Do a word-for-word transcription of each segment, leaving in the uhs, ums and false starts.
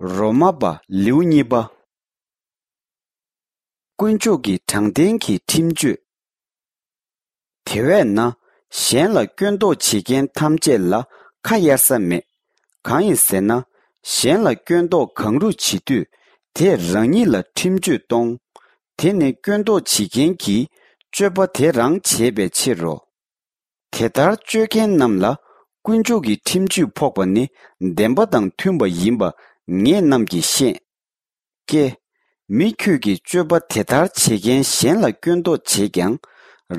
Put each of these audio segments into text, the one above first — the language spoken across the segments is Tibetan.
རོ་མ་པ་ལེའུ་གཉིས་པ། དཀོན་མཆོག་གི་དྲང་བདེན་གྱི་ཁྲིམས་གཅོད། དེ་བས་ན། གཞན་ལ་སྐྱོན་འདོགས་བྱེད་མཁན་ཐམས་ཅད་ལ་ཁ་གཡར་ས་མེད། གང་ཡིན་ཟེར་ན། གཞན་ལ་སྐྱོན་འདོགས་གང་རུང་བྱེད་དུས། དེས་རང་ཉིད་ལ་ཁྲིམས་གཅོད་གཏོང་། དེ་ནི་སྐྱོན་འདོགས་བྱེད་མཁན་གྱིས་སྤྱོད་པ་དེ་རང་བྱས་པའི་ཕྱིར་རོ། དེ་ལྟར་སྤྱོད་མཁན་རྣམས་ལ་དཀོན་མཆོག་གི་ཁྲིམས་གཅོད་ཕོག་པ་ནི་བདེན་པ་དང་མཐུན་པ་ཡིན་པ་ངེད་རྣམས་ཀྱིས་ཤེས། ཀྱེ། མི་ཁྱོད་ཀྱིས་སྤྱོད་པ་དེ་ལྟར་བྱེད་མཁན་གཞན་ལ་སྐྱོན་འདོགས་བྱེད་ཀྱང་།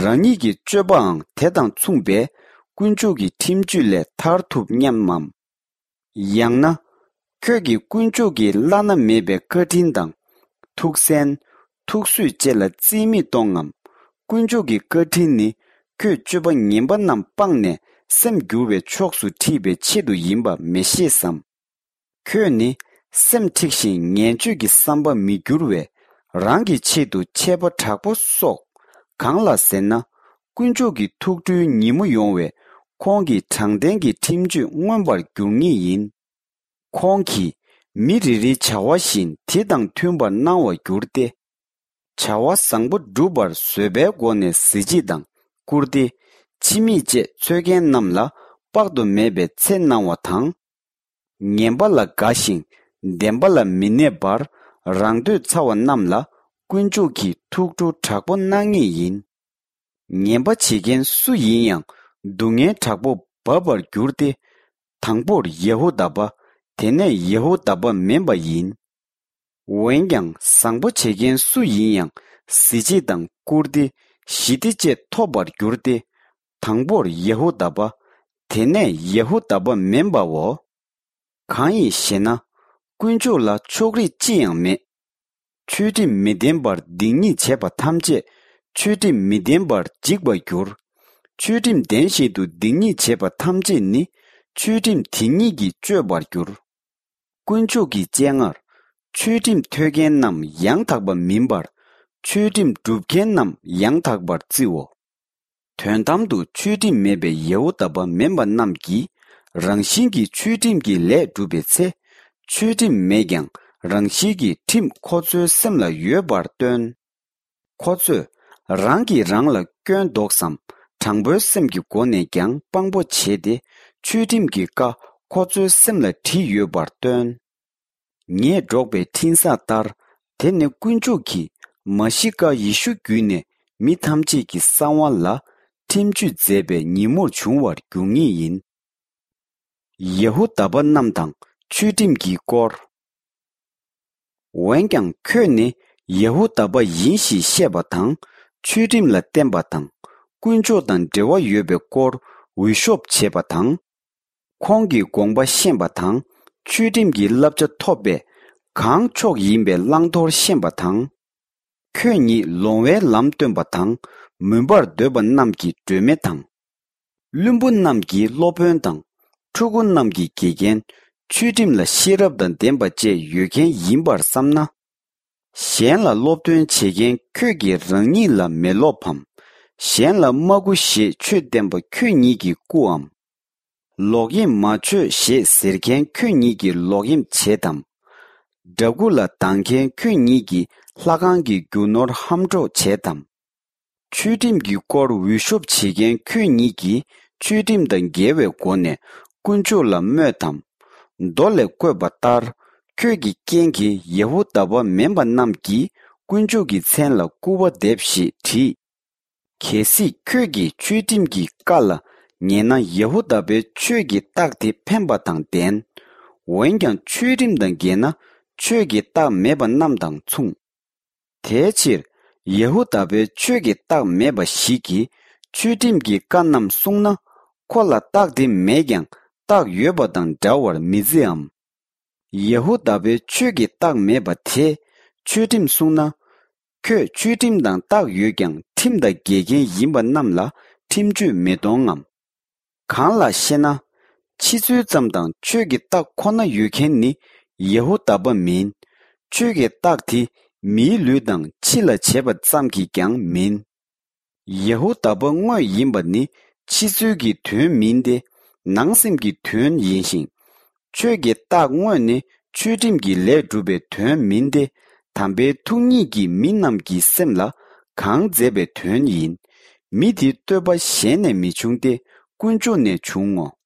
རང་ཉིད་ཀྱི་སྤྱོད་པའང་དེ་དང་མཚུངས་པས་དཀོན་མཆོག་གི་ཁྲིམས་གཅོད་ལས་ཐར་ཐུབ་སྙམ་མམ། ཡང་ན། ཁྱོད་ཀྱིས་དཀོན་མཆོག་གི་བླ་ན་མེད་པའི་བཀའ་དྲིན་དང་། ཐུགས་བསྲན། ཐུགས་བཟོད་བཅས་ལ་རྩིས་མེད་གཏོང་ངམ། དཀོན་མཆོག་གི་བཀའ་དྲིན་ནི་ཁྱོད་སྤྱོད་པ་ངན་པ་རྣམས་སྤངས་ནས་སེམས་བསྒྱུར་བའི་ཕྱོགས་སུ་ཁྲིད་པའི་ཆེད་དུ་ཡིན་པ་མི་ཤེས་སམ། ཁྱོད་ནི་སེམས་འཁྲིགས་ཤིང་ངན་སྤྱོད་ཀྱི་བསམ་པ་མི་འགྱུར་བས་རང་གི་ཆེད་དུ་ཆད་པ་དྲག་པོ་གསོག། གང་ལ་ཟེར་ན། དཀོན་མཆོག་གི་ཐུགས་ཁྲོའི་ཉིན་མོ་ཡོང་བས་ཁོང་གིས་དྲང་བདེན་གྱི་ཁྲིམས་གཅོད་མངོན་པར་འགྱུར་ངེས་ཡིན། ཁོང་གིས་མི་རེ་རེའི་བྱ་བ་བཞིན་དེ་དང་མཐུན་པར་གནང་བར་འགྱུར་ཏེ། བྱ་བ་བཟང་པོ་བསྒྲུབ་པར་བཟོད་པའི་སྒོ་ནས་གཟི་བརྗིད་དང་བཀུར་སྟི། ཕྱི་མིག་བཅས་འཚོལ་མཁན་རྣམས་ལ་དཔག་ཏུ་མེད་པའི་ཚེ་གནང་བ་དང་། ངན་པ་ལ་དགའ་ཞིང་བདེན་པ་ལ་མི་གནས་པར་རང་འདོད་ཚ་བ་རྣམས་ལ་དཀོན་མཆོག་གིས་ཐུགས་ཁྲོ་དྲག་པོ་གནང་ངེས་ཡིན། ངན་པ་བྱེད་མཁན་སུ་ཡིན་ཡང་སྡུག་བསྔལ་དྲག་པོ་འབབ་པར་འགྱུར་ཏེ། དང་པོར་ཡ་ཧུ་དཱ་པ། དེ་ནས་ཡ་ཧུ་དཱ་པ་མིན་པ་ཡིན། འོན་ཀྱང་བཟང་པོ་བྱེད་མཁན་སུ་ཡིན་ཡང་གཟི་བརྗིད་དང་བཀུར་སྟི། ཞི་བདེ་བཅས་ཐོབ་པར་འགྱུར་ཏེ། དང་པོར་ཡ་ཧུ་དཱ་པ། དེ་ནས་ཡ་ཧུ་དཱ་པ་མིན་པའོ། གང་ཡིན་ཞེ་ན། དཀོན་མཆོག་ལ་ཕྱོགས་རིས་ཅི་ཡང་མེད། ཆོས་ཁྲིམས་མི་ལྡན་པར་སྡིག་ཉེས་བྱས་པ་ཐམས་ཅད་ཆོས་ཁྲིམས་མི་ལྡན་པར་འཇིག་པར་འགྱུར། ཆོས་ཁྲིམས་ལྡན་བཞིན་དུ་སྡིག་ཉེས་བྱས་པ་ཐམས་ཅད་ནི་ཆོས་ཁྲིམས་དེ་ཉིད་ཀྱིས་གཅོད་པར་འགྱུར། དཀོན་མཆོག་གི་སྤྱན་སྔར། ཆོས་ཁྲིམས་ཐོས་མཁན་རྣམས་ཡང་དག་པ་མིན་པར། ཆོས་ཁྲིམས་སྒྲུབ་མཁན་རྣམས་ཡང་དག་པར་བརྩིའོ། དོན་དམ་དུ་ཆོས་ཁྲིམས་མེད་པའི་ཡ་ཧུ་དཱ་པ་མིན་པ་རྣམས་ཀྱིས་རང་བཞིན་གྱིས་ཆོས་ཁྲིམས་ཀྱི་ལས་བསྒྲུབས་པའི་ཚེ། ཆོས་ཁྲིམས་མེད་ཀྱང་རང་བཞིན་གྱིས་ཁྲིམས་ཁོ་ཚོའི་སེམས་ལ་ཡོད་པར་སྟོན། ཁོ་ཚོས་རང་གིས་རང་ལ་སྐྱོན་འདོགས་སམ། དྲང་པོའི་སེམས་ཀྱི་སྒོ་ནས་ཀྱང་དཔང་པོ་བྱས་ཏེ། ཆོས་ཁྲིམས་ཀྱི་བཀའ་ཁོ་ཚོའི་སེམས་ལ་བྲིས་ཡོད་པར་སྟོན། ངས་སྒྲོག་པའི་འཕྲིན་བཟང་ལྟར། དེ་ནི་དཀོན་མཆོག་གིས་མ་ཤི་ཀ་ཡེ་ཤུ་བརྒྱུད་ནས་མི་ཐམས་ཅད་ཀྱི་གསང་བ་ལ་ཁྲིམས་གཅོད་མཛད་པའི་ཉིན་མོར་འབྱུང་བར་འགྱུར་ངེས་ཡིན། ཡ་ཧུ་དཱ་པ་རྣམས་དང་ཆོས་ཁྲིམས་ཀྱི་སྐོར། འོན་ཀྱང་ཁྱོད་ནི་ཡ་ཧུ་དཱ་པ་ཡིན་ཞེས་བཤད་པ་དང་། ཆོས་ཁྲིམས་ལ་བརྟེན་པ་དང་། དཀོན་མཆོག་དང་འབྲེལ་བ་ཡོད་པའི་སྐོར་འུད་ཤོབ་བྱེད་པ་དང་། ཁོང་གི་དགོངས་པ་ཤེས་པ་དང་། ཆོས་ཁྲིམས་ཀྱི་བསླབ་བྱ་ཐོབ་པས་གང་མཆོག་ཡིན་པའི་བླང་དོར་ཤེས་པ་དང་། ཁྱོད་ཉིད་ལོང་བའི་ལམ་སྟོན་པ་དང་། མུན་པར་སྡོད་པ་རྣམས་ཀྱི་སྒྲོན་མེ་དང་། བླུན་པོ་རྣམས་ཀྱི་སློབ་དཔོན་དང་། ཕྲུ་གུ་རྣམས་ཀྱི་དགེ་རྒན། ཆོས་ཁྲིམས་ལ་ཤེས་རབ་དང་ལྡན་པ་བཅས་ཡོད་མཁན་ཡིན་པར་བསམ་ན། གཞན་ལ་སློབ་སྟོན་བྱེད་མཁན་ཁྱོད་ཀྱིས་རང་ཉིད་ལ་མི་སློབ་བམ། གཞན་ལ་མ་མགུ་ཞེས་ཆོས་བསྟན་པ་ཁྱོད་ཉིད་ཀྱིས་བརྐུའམ། ལོག་གཡེམ་མ་བྱོས་ཞེས་ཟེར་མཁན་ཁྱོད་ཉིད་ཀྱིས་ལོག་གཡེམ་བྱེད་དམ། འདྲ་སྐུ་ལ་སྡང་མཁན་ཁྱོད་ཉིད་ཀྱིས་ལྷ་ཁང་གི་རྒྱུ་ནོར་ཧམ་འཕྲོག་བྱེད་དམ། ཆོས་ཁྲིམས་ཀྱི་སྐོར་འུད་ཤོབ་བྱེད་མཁན་ཁྱོད་ཉིད་ཀྱིས་ཆོས་ཁྲིམས་དང་འགལ་བའི་སྒོ་ནས་དཀོན་མཆོག་ལ་སྨོད་དམ། མདོ་ལས་བཀོད་པ་ལྟར། ཁྱོད་ཀྱི་རྐྱེན་གྱིས་ཡ་ཧུ་དཱ་པ་མིན་པ་རྣམས་ཀྱིས་དཀོན་མཆོག་གི་མཚན་ལ་སྐུར་བ་འདེབས་ཞེས་བྲིས། གལ་སྲིད་ཁྱོད་ཀྱིས་ཆོས་ཁྲིམས་ཀྱི་བཀའ་ལ་ཉན་ན་ཡ་ཧུ་དཱ་པའི་ཆོས་ཀྱི་རྟགས་དེ་ཕན་པ་དང་ལྡན། འོན་ཀྱང་ཆོས་ཁྲིམས་དང་འགལ་ན་ཆོས་ཀྱི་རྟགས་མེད་པ་རྣམས་དང་མཚུངས། དེའི་ཕྱིར་ཡ་ཧུ་དཱ་པའི་ཆོས་ཀྱི་རྟགས་མེད་པ་ཞིག་གིས་ཆོས་ཁྲིམས་ཀྱི་བཀའ་རྣམས་བསྲུངས་ན། ཁོ་ལ་རྟགས་དེ་མེད་ཀྱང་རྟགས་ཡོད་པ་དང་འདྲ་བར་མི་བརྩིའམ། ཡ་ཧུ་དཱ་པའི་ཆོས་ཀྱི་རྟགས་མེད་པ་དེས་ཆོས་ཁྲིམས་བསྲུངས་ན། ཁྱོད་ཆོས་ཁྲིམས་དང་རྟགས་ཡོད་ཀྱང་ཁྲིམས་དང་འགལ་མཁན་ཡིན་པ་རྣམས་ལ་ཁྲིམས་གཅོད་མི་གཏོང་ངམ། གང་ལགས་ཤེ་ན། ཕྱི་ཚུལ་ཙམ་དང་ཆོས་ཀྱི་རྟགས་ཁོ་ན་ཡོད་མཁན་ནི་ཡ་ཧུ་དཱ་པ་མིན། ཆོས་ཀྱི་རྟགས་དེ་མིའི་ལུས་དང་ཕྱི་ལ་བྱེད་པ་ཙམ་གྱིས་ཀྱང་མིན། ཡ་ཧུ་དཱ་པ་དངོས་ཡིན་པ་ནི་ཕྱི་ཚུལ་གྱི་དོན་མིན་ཏེ། ནང་སེམས་ཀྱི་དོན་ཡིན་ཞིང་། ཆོས་ཀྱི་རྟགས་དངོས་ནི་ ཆོས་ཁྲིམས་ཀྱི་ལས་སྒྲུབ་པའི་དོན་མིན་ཏེ། དམ་པའི་ཐུགས་ཉིད་ཀྱིས་མི་རྣམས་ཀྱི་སེམས་ལ་གང་མཛད་པའི་དོན་ཡིན། མི་དེ་བསྟོད་པ་གཞན་ནས་མི་འབྱུང་སྟེ། དཀོན་མཆོག་ནས་འབྱུང་ངོ་།